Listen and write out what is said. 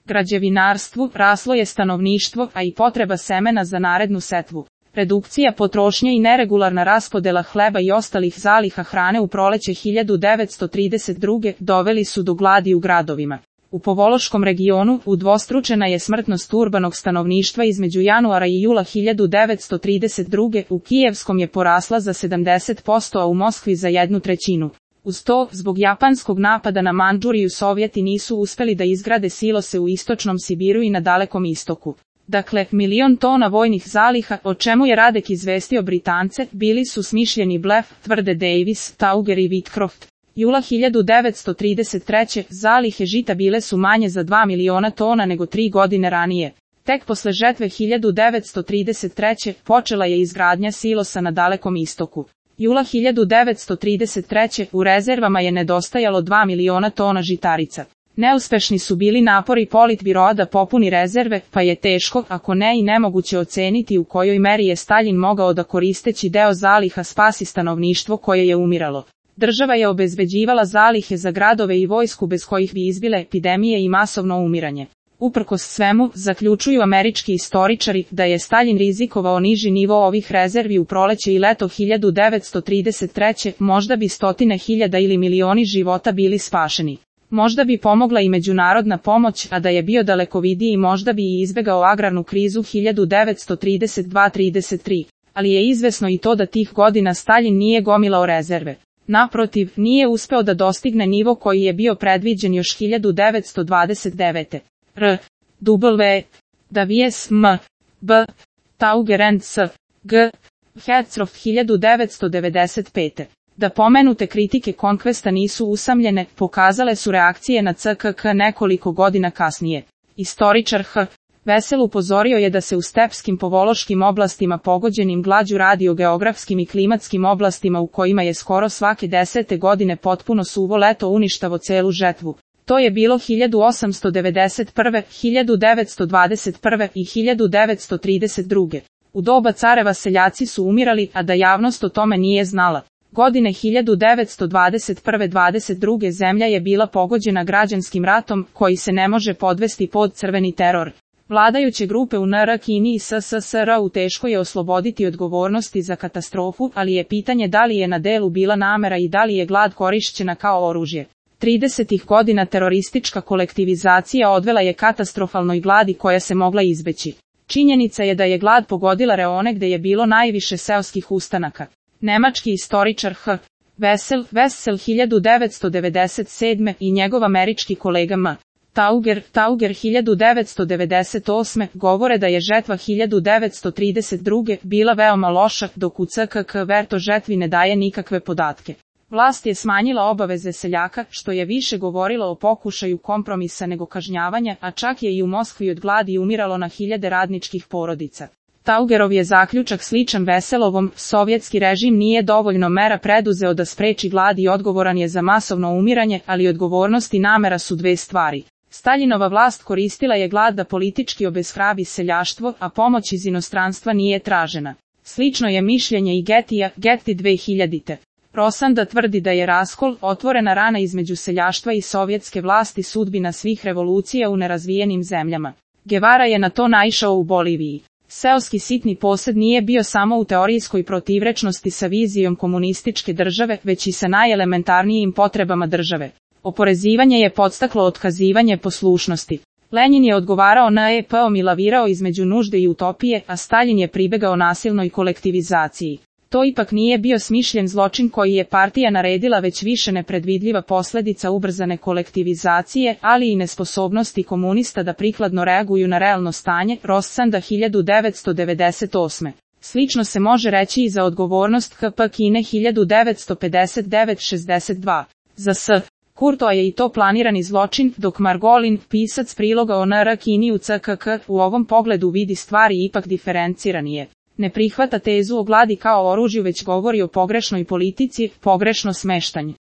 građevinarstvu, raslo je stanovništvo, a i potreba semena za narednu setvu. Redukcija potrošnje i neregularna raspodela hleba i ostalih zaliha hrane u proleće 1932. doveli su do gladi u gradovima. U Povološkom regionu udvostručena je smrtnost urbanog stanovništva između januara i jula 1932. U Kijevskom je porasla za 70%, a u Moskvi za 1/3. Uz to, zbog japanskog napada na Mandžuriju Sovjeti nisu uspeli da izgrade silose u istočnom Sibiru i na Dalekom istoku. Dakle, 1.000.000 tona vojnih zaliha, o čemu je Radek izvestio Britance, bili su smišljeni blef, tvrde Davis, Tauger i Whitcroft. Jula 1933. zalihe žita bile su manje za 2.000.000 tona nego 3 godine ranije. Tek posle žetve 1933. počela je izgradnja silosa na Dalekom istoku. Jula 1933. u rezervama je nedostajalo 2.000.000 tona žitarica. Neuspešni su bili napori Politbiroa da popuni rezerve, pa je teško, ako ne i nemoguće oceniti u kojoj meri je Staljin mogao da koristeći deo zaliha spasi stanovništvo koje je umiralo. Država je obezbeđivala zalihe za gradove i vojsku bez kojih bi izbile epidemije i masovno umiranje. Uprkos svemu, zaključuju američki istoričari da je Staljin rizikovao niži nivo ovih rezervi u proleće i leto 1933. Možda bi stotine hiljada ili milioni života bili spašeni. Možda bi pomogla i međunarodna pomoć, a da je bio dalekovidiji možda bi i izbegao agrarnu krizu 1932-33. Ali je izvesno i to da tih godina Staljin nije gomilao rezerve. Naprotiv, nije uspeo da dostigne nivo koji je bio predviđen još 1929. W. Davies M. B. Tauger and S. G. Hertzroff 1995. Da pomenute kritike Konkvesta nisu usamljene, pokazale su reakcije na CKK nekoliko godina kasnije. Istoričar H. Vesel upozorio je da se u stepskim povološkim oblastima pogođenim glađu radi o geografskim i klimatskim oblastima u kojima je skoro svake 10. godine potpuno suvo leto uništavo celu žetvu. To je bilo 1891., 1921. i 1932. U doba careva seljaci su umirali, a da javnost o tome nije znala. Godine 1921-22. zemlja je bila pogođena građanskim ratom, koji se ne može podvesti pod crveni teror. Vladajuće grupe u NR, Kini i SSSR u teško je osloboditi odgovornosti za katastrofu, ali je pitanje da li je na delu bila namera i da li je glad korišćena kao oružje. 30. godina teroristička kolektivizacija odvela je katastrofalnoj gladi koja se mogla izbeći. Činjenica je da je glad pogodila reone gde je bilo najviše seoskih ustanaka. Nemački istoričar H. Wessel 1997. i njegov američki kolega M. Tauger 1998. govore da je žetva 1932. bila veoma loša, dok u CKK Verto žetvi ne daje nikakve podatke. Vlast je smanjila obaveze seljaka, što je više govorilo o pokušaju kompromisa nego kažnjavanja, a čak je i u Moskvi od gladi umiralo na hiljade radničkih porodica. Taugerov je zaključak sličan Veselovom, sovjetski režim nije dovoljno mera preduzeo da spreči glad i odgovoran je za masovno umiranje, ali odgovornost i namera su dve stvari. Staljinova vlast koristila je glad da politički obeshrabi seljaštvo, a pomoć iz inostranstva nije tražena. Slično je mišljenje i Getija, Getty 2000. Rosanda tvrdi da je raskol, otvorena rana između seljaštva i sovjetske vlasti sudbina svih revolucija u nerazvijenim zemljama. Guevara je na to naišao u Boliviji. Seoski sitni posed nije bio samo u teorijskoj protivrečnosti sa vizijom komunističke države, već i sa najelementarnijim potrebama države. Oporezivanje je podstaklo otkazivanje poslušnosti. Lenin je odgovarao na EP-om i lavirao između nužde i utopije, a Staljin je pribegao nasilnoj kolektivizaciji. To ipak nije bio smišljen zločin koji je partija naredila, već više nepredvidljiva posljedica ubrzane kolektivizacije, ali i nesposobnosti komunista da prikladno reaguju na realno stanje. Rossanda 1998. Slično se može reći i za odgovornost KP Kine 1959-62. Za S. Kurtoa je i to planirani zločin, dok Margolin, pisac priloga o NR Kini u CKK, u ovom pogledu vidi stvari ipak diferenciranije. Ne prihvata tezu o gladi kao oružju, već govori o pogrešnoj politici, pogrešno smeštanju.